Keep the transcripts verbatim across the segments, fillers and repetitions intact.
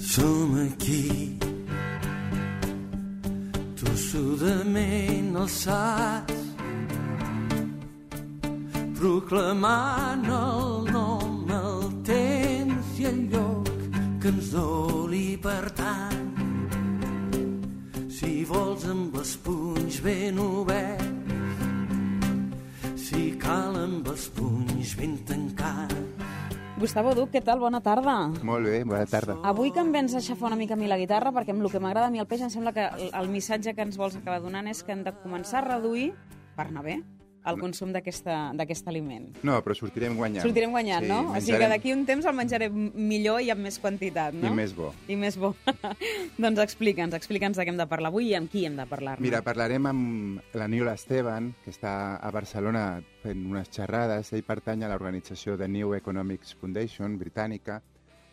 Som aquí, tossudament alçats, proclamant el nom, el temps i el lloc que ens doli per tant. Si vols amb els punys ben oberts, si cal amb els punys ben tancats. Gustavo Duc, què tal? Bona tarda. Molt bé, bona tarda. Avui que em vens a aixafar una mica a mi la guitarra, perquè amb el que m'agrada a mi el peix em sembla que el missatge que ens vols acabar donant és que hem de començar a reduir, per anar bé, el consum d'aquest aliment. No, però sortirem guanyant. Sortirem guanyant, sí, no? Menjarem... O sigui que d'aquí un temps el menjarem millor i amb més quantitat, no? I més bo. I més bo. Doncs explica'ns, explica'ns de què hem de parlar avui i amb qui hem de parlar-ne. Mira, parlarem amb l'Aniol Esteban, que està a Barcelona fent unes xerrades. Ell pertany a l'organització The New Economics Foundation, britànica,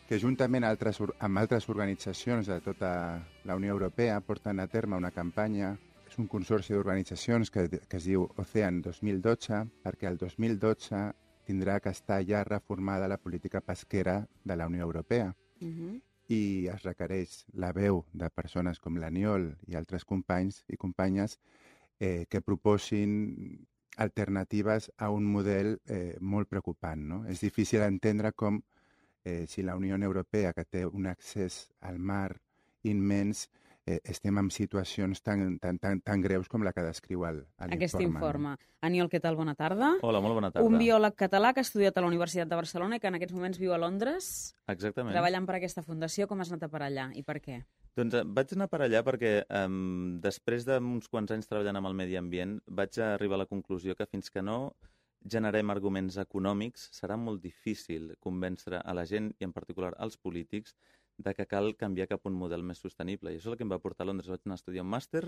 que juntament altres, amb altres organitzacions de tota la Unió Europea porten a terme una campanya. És un consorci d'organitzacions que, que es diu Ocean dos mil dotze, perquè el dos mil dotze tindrà que estar ja reformada la política pesquera de la Unió Europea. Uh-huh. I es requereix la veu de persones com l'Aniol i altres companys i companyes eh, que proposin alternatives a un model eh, molt preocupant, no? És difícil entendre com eh, si la Unió Europea, que té un accés al mar immens, Eh, estem en situacions tan, tan, tan, tan greus com la que descriu el, l'informe. Aquest informe. No? Aniol, què tal? Bona tarda. Hola, molt bona tarda. Un biòleg català que ha estudiat a la Universitat de Barcelona i que en aquests moments viu a Londres. Exactament. Treballant per aquesta fundació. Com has anat a per allà i per què? Doncs eh, vaig anar per allà perquè eh, després d'uns quants anys treballant amb el medi ambient vaig arribar a la conclusió que fins que no generem arguments econòmics serà molt difícil convèncer a la gent i en particular als polítics de que cal canviar cap a un model més sostenible. I això és el que em va portar a Londres. Vaig anar a estudiar un màster,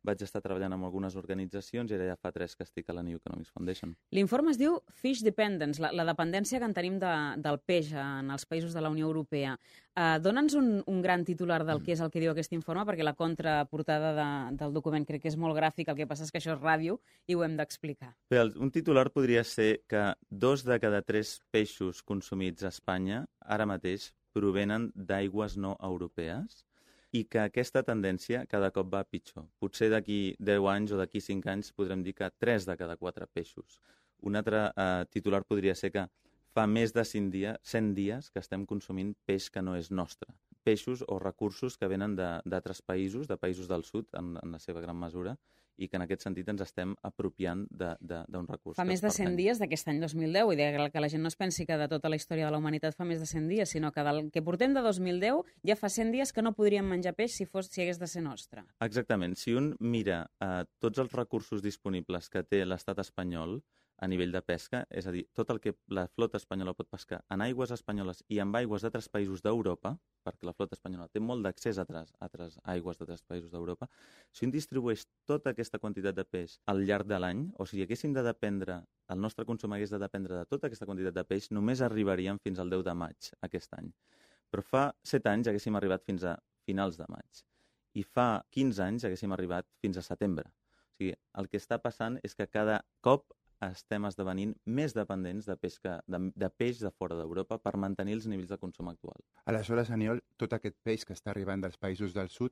vaig estar treballant amb algunes organitzacions i ara ja fa tres que estic a la New Economics Foundation. L'informe es diu Fish Dependence, la, la dependència que en tenim de, del peix en els països de la Unió Europea. Uh, Dóna'ns un, un gran titular del que és el que diu aquest informe, perquè la contraportada de, del document crec que és molt gràfic, el que passa és que això és ràdio i ho hem d'explicar. Bé, un titular podria ser que dos de cada tres peixos consumits a Espanya ara mateix provenen d'aigües no europees i que aquesta tendència cada cop va pitjor. Potser d'aquí deu anys o d'aquí cinc anys podrem dir que tres de cada quatre peixos. Un altre eh, titular podria ser que fa més de cent dies, cent dies que estem consumint peix que no és nostre. Peixos o recursos que venen d'altres països, de països del sud, en, en la seva gran mesura, i que en aquest sentit ens estem apropiant d'un recurs. Fa més de cent dies d'aquest any dos mil deu, i que la gent no es pensi que de tota la història de la humanitat fa més de cent dies, sinó que del que portem de dos mil deu ja fa cent dies que no podríem menjar peix si, fos, si hagués de ser nostre. Exactament. Si un mira eh, tots els recursos disponibles que té l'estat espanyol a nivell de pesca, és a dir, tot el que la flota espanyola pot pescar en aigües espanyoles i en aigües d'altres països d'Europa, perquè la flota espanyola té molt d'accés a altres, altres aigües d'altres països d'Europa, si un distribueix tota aquesta quantitat de peix al llarg de l'any, o si haguéssim de dependre, el nostre consum hagués de dependre de tota aquesta quantitat de peix, només arribaríem fins al deu de maig aquest any. Però fa set anys haguéssim arribat fins a finals de maig. I fa quinze anys haguéssim arribat fins a setembre. O sigui, el que està passant és que cada cop estem esdevenint més dependents de, pesca, de, de peix de fora d'Europa per mantenir els nivells de consum actual. Aleshores, Aniol, tot aquest peix que està arribant dels països del sud,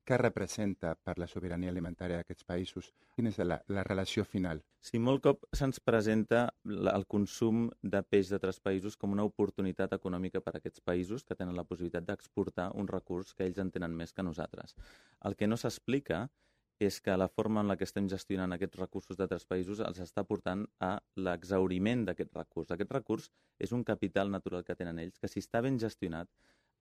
què representa per la sobirania alimentària d'aquests països? Quina és la, la relació final? Sí, molt cop se'ns presenta el consum de peix d'altres països com una oportunitat econòmica per a aquests països que tenen la possibilitat d'exportar un recurs que ells en tenen més que nosaltres. El que no s'explica és que la forma en la que estem gestionant aquests recursos d'altres països els està portant a l'exhauriment d'aquest recurs. Aquest recurs és un capital natural que tenen ells, que si està ben gestionat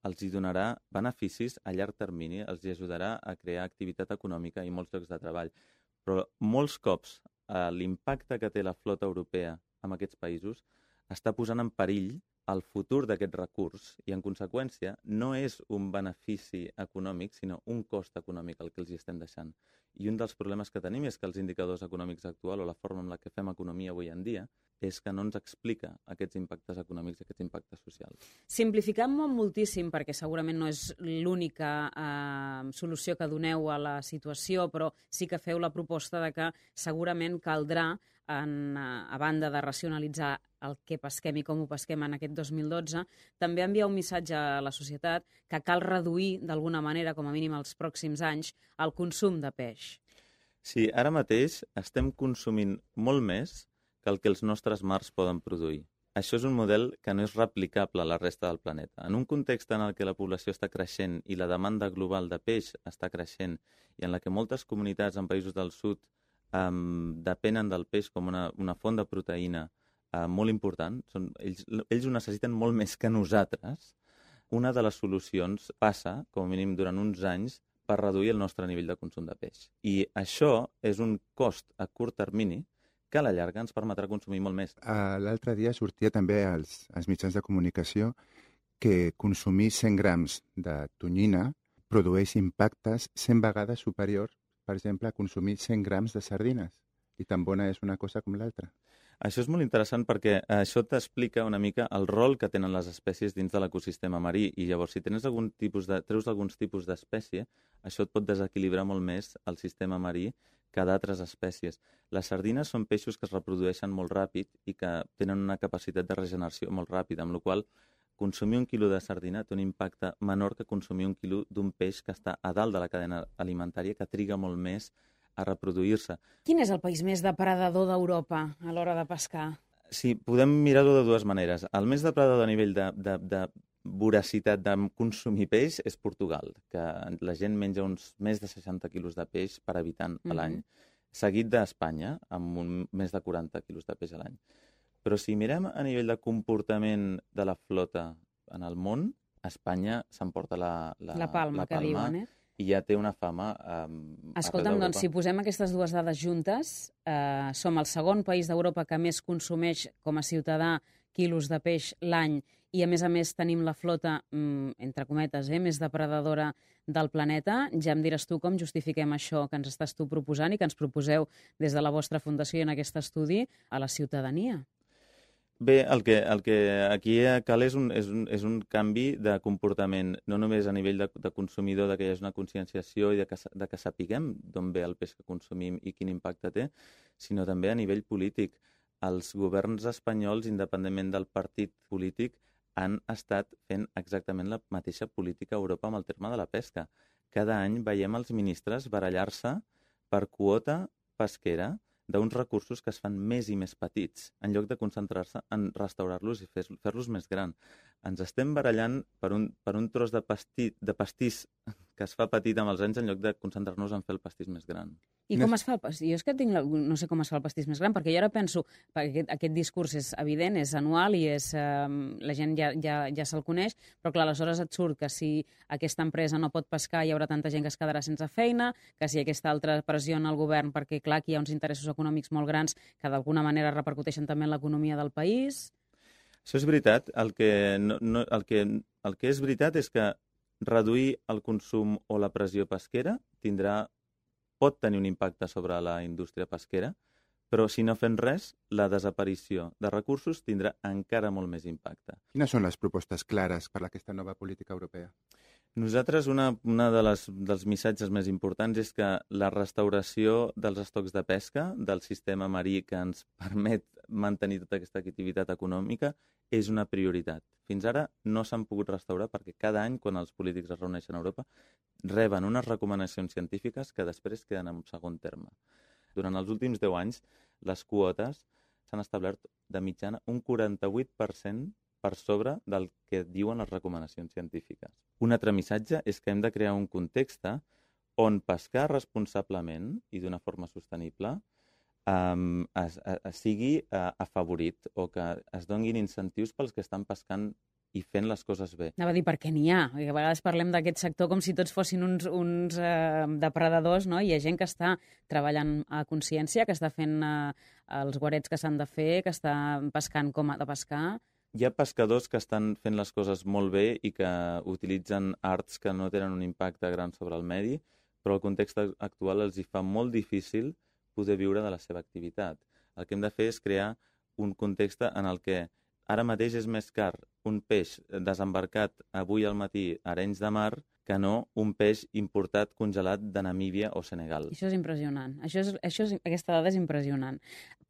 els hi donarà beneficis a llarg termini, els hi ajudarà a crear activitat econòmica i molts llocs de treball. Però molts cops eh, l'impacte que té la flota europea en aquests països està posant en perill el futur d'aquest recurs i, en conseqüència, no és un benefici econòmic, sinó un cost econòmic el que els hi estem deixant. I un dels problemes que tenim és que els indicadors econòmics actuals o la forma en la que fem economia avui en dia és que no ens explica aquests impactes econòmics i aquests impactes socials. Simplificant-m'ho moltíssim, perquè segurament no és l'única eh, solució que doneu a la situació, però sí que feu la proposta de que segurament caldrà en, a banda de racionalitzar el que pesquem i com ho pesquem en aquest dos mil dotze, també envia un missatge a la societat que cal reduir d'alguna manera, com a mínim els pròxims anys, el consum de peix. Sí, ara mateix estem consumint molt més que el que els nostres mars poden produir. Això és un model que no és replicable a la resta del planeta. En un context en el que la població està creixent i la demanda global de peix està creixent i en la que moltes comunitats en països del sud um, depenen del peix com una, una font de proteïna uh, molt important, són, ells, ells ho necessiten molt més que nosaltres, una de les solucions passa, com a mínim durant uns anys, per reduir el nostre nivell de consum de peix. I això és un cost a curt termini que a la llarga ens permetrà consumir molt més. Uh, L'altre dia sortia també als, als mitjans de comunicació que consumir cent grams de tonyina produeix impactes cent vegades superiors, per exemple, a consumir cent grams de sardines. I tan bona és una cosa com l'altra. Això és molt interessant perquè això t'explica una mica el rol que tenen les espècies dins de l'ecosistema marí i llavors si tens algun tipus de, treus alguns tipus d'espècie, això et pot desequilibrar molt més el sistema marí que d'altres espècies. Les sardines són peixos que es reprodueixen molt ràpid i que tenen una capacitat de regeneració molt ràpida, amb la qual consumir un quilo de sardina té un impacte menor que consumir un quilo d'un peix que està a dalt de la cadena alimentària, que triga molt més a reproduir-se. Quin és el país més depredador d'Europa a l'hora de pescar? Sí, podem mirar-ho de dues maneres. El més depredador a nivell de, de, de voracitat de consumir peix és Portugal, que la gent menja uns més de seixanta quilos de peix per habitant a l'any, mm-hmm. seguit d'Espanya, amb un, més de quaranta quilos de peix a l'any. Però si mirem a nivell de comportament de la flota en el món, Espanya s'emporta la, la, la palma, la palma que diuen, eh? I ja té una fama um, Escolta'm, doncs, si posem aquestes dues dades juntes, eh, som el segon país d'Europa que més consumeix com a ciutadà quilos de peix l'any i, a més a més, tenim la flota, mm, entre cometes, eh, més depredadora del planeta. Ja em diràs tu com justifiquem això que ens estàs tu proposant i que ens proposeu des de la vostra fundació en aquest estudi a la ciutadania. Bé, el que, el que aquí cal és un, és, un, és un canvi de comportament, no només a nivell de, de consumidor, de que hi hagi una conscienciació i de que, de que sapiguem d'on ve el peix que consumim i quin impacte té, sinó també a nivell polític. Els governs espanyols, independentment del partit polític, han estat fent exactament la mateixa política a Europa amb el terme de la pesca. Cada any veiem els ministres barallar-se per quota pesquera d'uns recursos que es fan més i més petits, en lloc de concentrar-se en restaurar-los i fer-los més gran. Ens estem barallant per un, per un tros de, pastí, de pastís que es fa petit amb els anys en lloc de concentrar-nos en fer el pastís més gran. I com es fa el pastís? Jo és que tinc la... no sé com es fa el pastís més gran, perquè jo ara penso, perquè aquest, aquest discurs és evident, és anual i és, eh, la gent ja, ja, ja se'l coneix, però clar, aleshores et surt que si aquesta empresa no pot pescar hi haurà tanta gent que es quedarà sense feina, que si aquesta altra pressiona el govern perquè clar, aquí hi ha uns interessos econòmics molt grans que d'alguna manera repercuteixen també en l'economia del país. Això és veritat. El que, no, no, el que, el que és veritat és que reduir el consum o la pressió pesquera tindrà, pot tenir un impacte sobre la indústria pesquera, però si no fem res, la desaparició de recursos tindrà encara molt més impacte. Quines són les propostes clares per a aquesta nova política europea? Nosaltres, una, una de les, dels missatges més importants és que la restauració dels estocs de pesca, del sistema marí que ens permet mantenir tota aquesta activitat econòmica, és una prioritat. Fins ara no s'han pogut restaurar perquè cada any, quan els polítics es reuneixen a Europa, reben unes recomanacions científiques que després queden en segon terme. Durant els últims deu anys, les quotes s'han establert de mitjana un quaranta-vuit per cent per sobre del que diuen les recomanacions científiques. Un altre missatge és que hem de crear un context on pescar responsablement i d'una forma sostenible um, es, es, sigui uh, afavorit o que es donguin incentius pels que estan pescant i fent les coses bé. Anava a dir, perquè n'hi ha. A vegades parlem d'aquest sector com si tots fossin uns, uns eh, depredadors, no? Hi ha gent que està treballant a consciència, que està fent eh, els guarets que s'han de fer, que està pescant com ha de pescar. Hi ha pescadors que estan fent les coses molt bé i que utilitzen arts que no tenen un impacte gran sobre el medi, però el context actual els hi fa molt difícil poder viure de la seva activitat. El que hem de fer és crear un context en el que ara mateix és més car un peix desembarcat avui al matí a Arenys de Mar que no un peix importat congelat de Namíbia o Senegal. Això és impressionant. Això és, això és, aquesta dada és impressionant.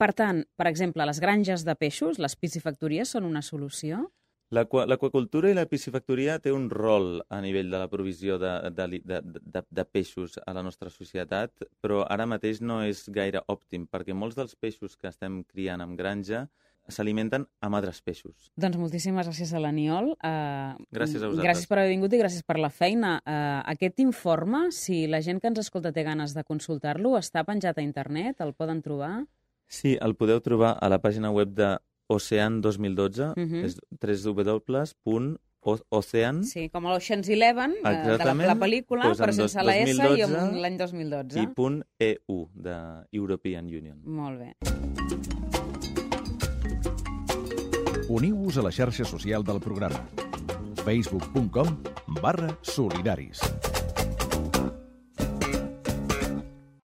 Per tant, per exemple, les granges de peixos, les piscifactories, són una solució? L'aquacultura i la piscifactoria té un rol a nivell de la provisió de, de, de, de, de peixos a la nostra societat, però ara mateix no és gaire òptim, perquè molts dels peixos que estem criant en granja s'alimenten amb altres peixos. Doncs moltíssimes gràcies a l'Aniol. Uh, gràcies a vosaltres. Gràcies per haver vingut i gràcies per la feina. Uh, aquest informe, si la gent que ens escolta té ganes de consultar-lo, està penjat a internet? El poden trobar? Sí, el podeu trobar a la pàgina web de Ocean dos mil dotze, uh-huh. és w w w punt ocean... Sí, com l'Ocean's Eleven, de la, la pel·lícula, doncs però sense dos, la S i amb l'any dos mil dotze. I punt E U, de European Union. Molt bé. Uniu-vos a la xarxa social del programa facebook punt com barra solidaris.